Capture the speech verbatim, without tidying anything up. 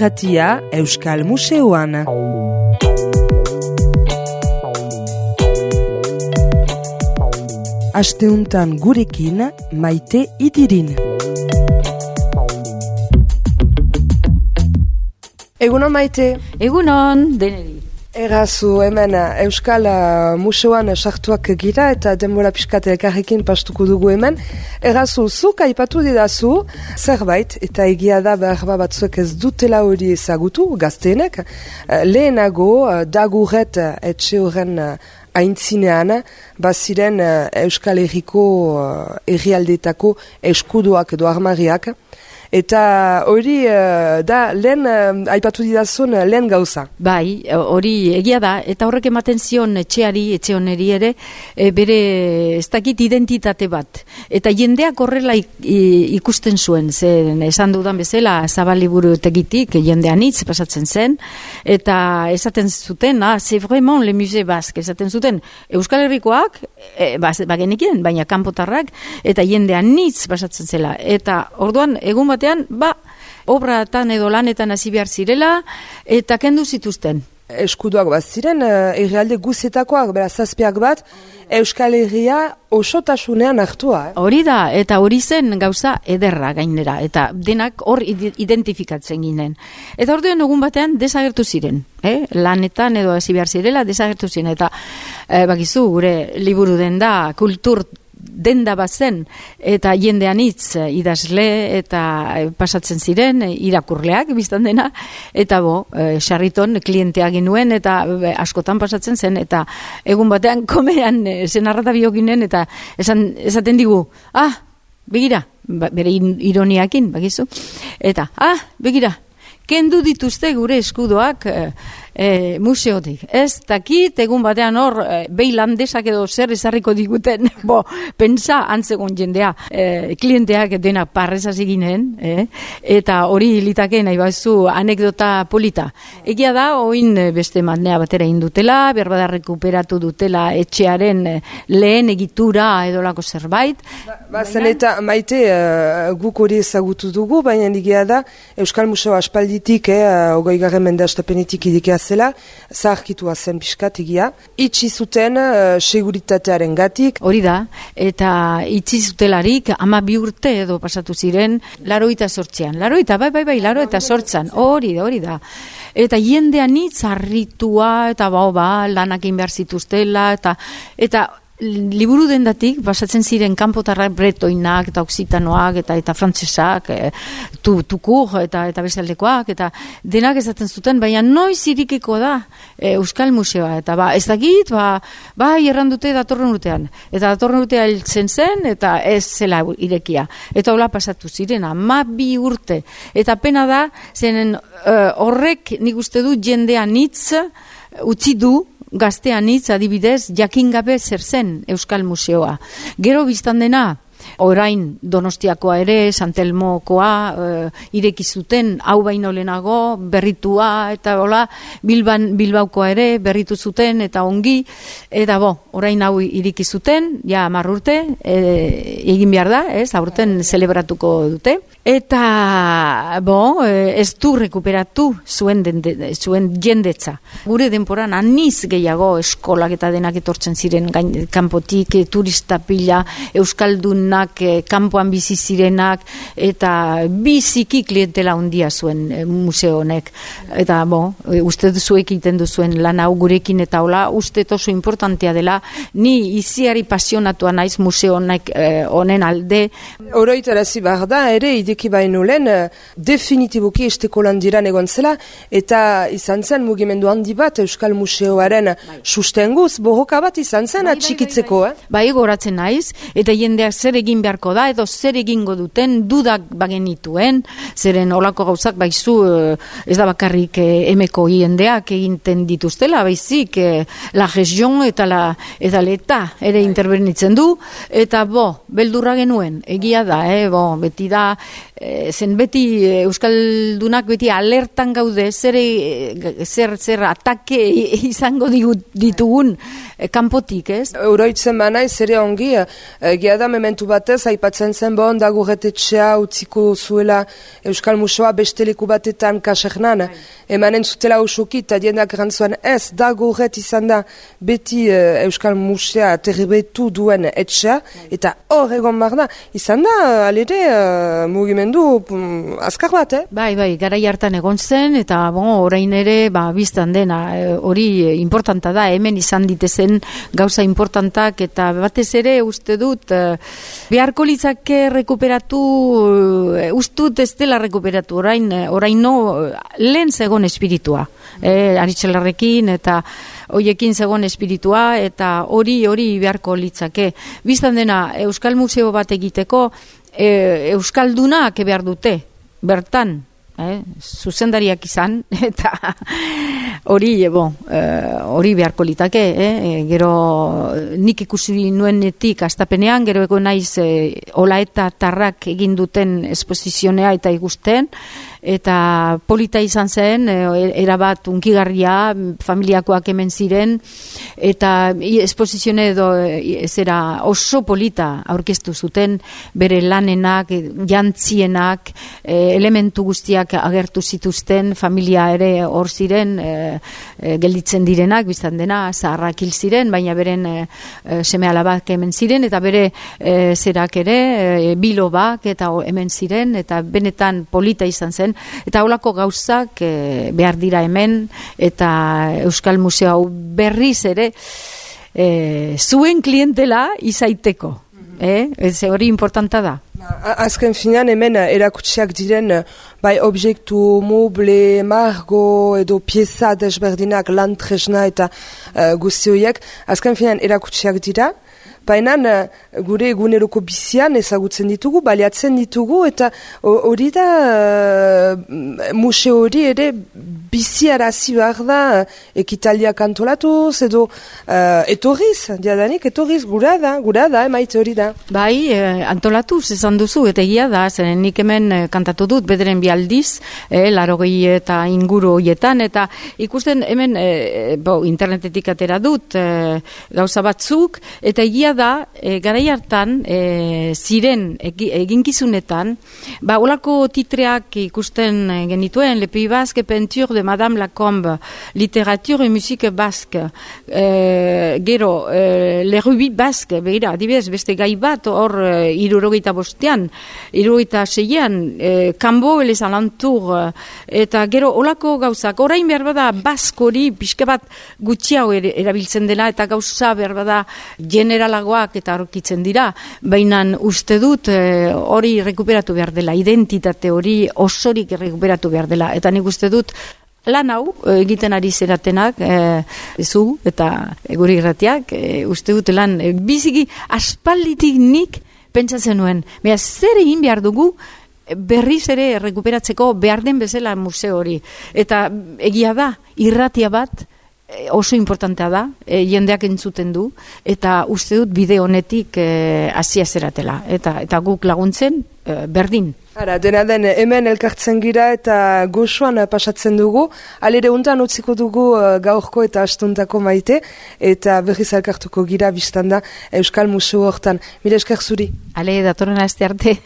irratia Euskal Museoan. Asteuntan gurekin Maite Idirin. Egunon Maite. Egunon, deneri. Errazu, hemen Euskal Museoan sartuak gira eta denbora pixkat elkarrekin pastuko dugu hemen. Errazu, zuk aipatu didazu zerbait eta egia da behar batzuek ez dutela hori ezagutu, gazteenek. Lehenago, Daguret etxe horren aintzinean, baziren Euskal Herriko herrialdetako eskuduak edo armariak. Eta hori uh, da lehen uh, aipatu didazun uh, lehen gauza. Bai, hori egia da, eta horrek ematen zion etxeari, etxe honeri ere, e, bere ez dakit identitate bat. Eta jendeak horrela ikusten zuen, zen esan dudan bezala Zabaliburu tegitik jendean hitz pasatzen zen, eta esaten zuten, ah, c'est vraiment le musée basque, esaten zuten Euskal Herrikoak, e, bagenekien, baina kanpotarrak, eta jendean hitz pasatzen zela. Eta orduan, egun bat ba, obratan edo lanetan hasi behar zirela, eta kendu zituzten. Eskuduak bat ziren, herrialde guzetakoak, bera zazpiak bat, Euskal Herria osotasunean hartua. Eh? Hori da, eta hori zen gauza ederra gainera, eta denak hor identifikatzen ginen. Eta orduan egun batean desagertu ziren, eh? Lanetan edo hasi behar zirela desagertu ziren, eta eh, bakizu, gure liburu den da, kultur denda bat zen, eta jendean hitz idazle eta pasatzen ziren irakurleak biztan dena, eta bo, sarriton klientea ginuen, eta askotan pasatzen zen, eta egun batean komean zenarrata biokinen, eta esan, esaten digu, ah, begira, bere ironiakin, bakizu, eta, ah, begira, kendu dituzte gure eskudoak e, e, museotik. Ez dakit, egun batean hor, e, behi landesak edo zer ezarriko diguten, bo, pentsa antzegon jendea, e, klienteak dena parrezaz eginen, e, eta hori litake nahi bazu anekdota polita. Egia da, oin beste manea batera indutela, berbada rekuperatu dutela etxearen lehen egitura edolako zerbait. Ba, ba zen eta Maite, uh, guk hori ezagutu dugu, baina egia da, Euskal Museo aspaldi ditik, eh, ogoi garren mende astapenetik idikea zela, zaharkitua zen pixkat egia. Itxi zuten uh, seguritatearen gatik. Hori da, eta itxi zutelarik ama bi urte edo pasatu ziren, laroita sortzean. Laroita, bai, bai, bai, laroita sortzan. Hori da, hori da. Eta jendean hitz harritua, eta bau, ba, lanak egin behar zituztela, eta, eta liburu dendatik, basatzen ziren kanpotarrak bretoinak, eta oksitanoak, eta eta frantsesak, e, tu, tukur, eta eta bezaldekoak, eta denak esaten zuten, baina noiz irikiko da e, Euskal Museoa, eta ba, ez dakit, ba, ba, errandute datorren urtean, eta datorren urtea hiltzen zen, eta ez zela irekia, eta hola pasatu ziren, ama bi urte, eta pena da, zenen uh, horrek nik uste du jendean hitz utzi du, gaztean hitz adibidez, jakingabe zer zen Euskal Museoa. Gero biztan dena, orain Donostiakoa ere, Santelmokoa, e, ireki zuten, hau baino lehenago, berritua, eta hola, Bilban, Bilbaukoa ere, berritu zuten, eta ongi, eta bo, orain hau ireki zuten, ja hamar urte, e, egin behar da, ez, aurten zelebratuko dute, eta bo, ez du rekuperatu zuen, dende, zuen jendetza. Gure denporan aniz gehiago eskolak eta denak etortzen ziren gain, kanpotik, turista pila, euskaldunak, kanpoan bizi zirenak, eta biziki klientela handia zuen e, museo honek. Eta bo, uste zuek egiten duzuen lan hau gurekin eta hola, uste oso importantea dela, ni iziari pasionatua naiz museo honek e, honen alde. Oroitarazi behar da, ere, ideki baino lehen, definitiboki esteko landiran egon zela, eta izan zen mugimendu handi bat Euskal Museoaren bai. Sustenguz, borroka bat izan zen bai, atxikitzeko. Bai, bai, bai. bai goratzen naiz, eta jendeak zer egin beharko da, edo zer egingo duten, dudak bagenituen, zeren olako gauzak baizu, ez da bakarrik emeko jendeak eginten dituztela, baizik, la region eta la eta leta ere bai. Intervenitzen du, eta bo, beldurra genuen, egia da, eh, bo, beti da, zen beti euskaldunak beti alertan gaude zer zer zer atake izango ditugun kanpotik, ez? Oroitzen banaiz ere ongi, egia da mementu batez, aipatzen zen bon, dagurretetxea utziko zuela Euskal Museoa beste leku batetan kasernan, emanen zutela usuki, eta diendak erantzuan ez, dagurret izan da beti uh, Euskal Musea terribetu duen etxea, eta hor egon bar da, izan da, alere, uh, mugimendu um, azkar bat, eh? Bai, bai, garai hartan egon zen, eta bon, orain ere, ba, biztan dena, hori e, importanta da, hemen izan ditezen gauza importantak, eta batez ere uste dut, e, beharko litzake rekuperatu, e, ustut ez dela rekuperatu, orain, orain no, lehen zegoen espiritua, e, Aritxelarrekin, eta hoiekin zegoen espiritua, eta hori, hori beharko litzake. Biztan dena, Euskal Museo bat egiteko, e, Euskaldunak behar dute, bertan, eh, zuzendariak izan, eta hori, bon, hori beharko litake, eh, gero nik ikusi nuenetik astapenean, gero ego naiz eh, ola eta tarrak egin duten esposizionea eta ikusten, eta polita izan zen, erabat unkigarria, familiakoak hemen ziren, eta esposizione edo zera oso polita aurkeztu zuten, bere lanenak, jantzienak, elementu guztiak agertu zituzten, familia ere hor ziren, gelditzen direnak, biztan dena, zaharrak hil ziren, baina beren seme alabak hemen ziren, eta bere zerak ere, bilobak, eta hemen ziren, eta benetan polita izan zen, eta holako gauzak e, behar dira hemen, eta Euskal Museo hau berriz ere e, zuen klientela izaiteko. Eh? Ez hori importanta da. Azken finean hemen erakutsiak diren bai objektu, moble, margo edo pieza desberdinak, lan tresna eta uh, guzti horiek, azken finean erakutsiak dira, baina gure eguneroko bizian ezagutzen ditugu, baliatzen ditugu, eta hori da uh, museo hori ere biziarazi behar da ekitaliak antolatuz, edo uh, etorriz, diadanik etorriz gura da, gura da, emaite hori da. Bai, eh, antolatuz esan duzu, eta egia da, zeren nik hemen eh, kantatu dut, bederen bialdiz, eh, larogei eta inguru horietan, eta ikusten hemen, eh, bo, internetetik atera dut, eh, gauza batzuk, eta egia da, e, garai hartan, e, ziren eginkizunetan, ba, olako titreak ikusten genituen, Le Pays Basque, Peinture de Madame Lacombe, Literature et Musique Basque, e, gero, e, Le Rubis Basque, begira, adibidez, beste gai bat, hor, e, irurogeita bostean, irurogeita seian, e, Cambo et les Alentours, eta gero, olako gauzak, orain behar bada, baskori, pixka bat gutxiago erabiltzen dela, eta gauza behar bada, generala eta aurkitzen dira, baina uste dut hori e, rekuperatu behar dela, identitate hori osorik rekuperatu behar dela, eta nik uste dut lan hau egiten ari zeratenak e, zu eta guri irratiak, e, uste dut lan e, biziki aspalditik nik pentsatzen nuen, beha zer egin behar dugu berriz ere rekuperatzeko behar den bezala museo hori, eta egia da, irratia bat oso importantea da, e, jendeak entzuten du, eta uste dut bide honetik hasia e, zeratela, eta, eta guk laguntzen e, berdin. Ara, dena den, hemen elkartzen gira eta goxoan pasatzen dugu, alere untan utziko dugu uh, gaurko eta astuntako maite, eta berriz elkartuko gira biztanda Euskal Museo hortan. Mila esker zuri. Ale, datorren aste arte.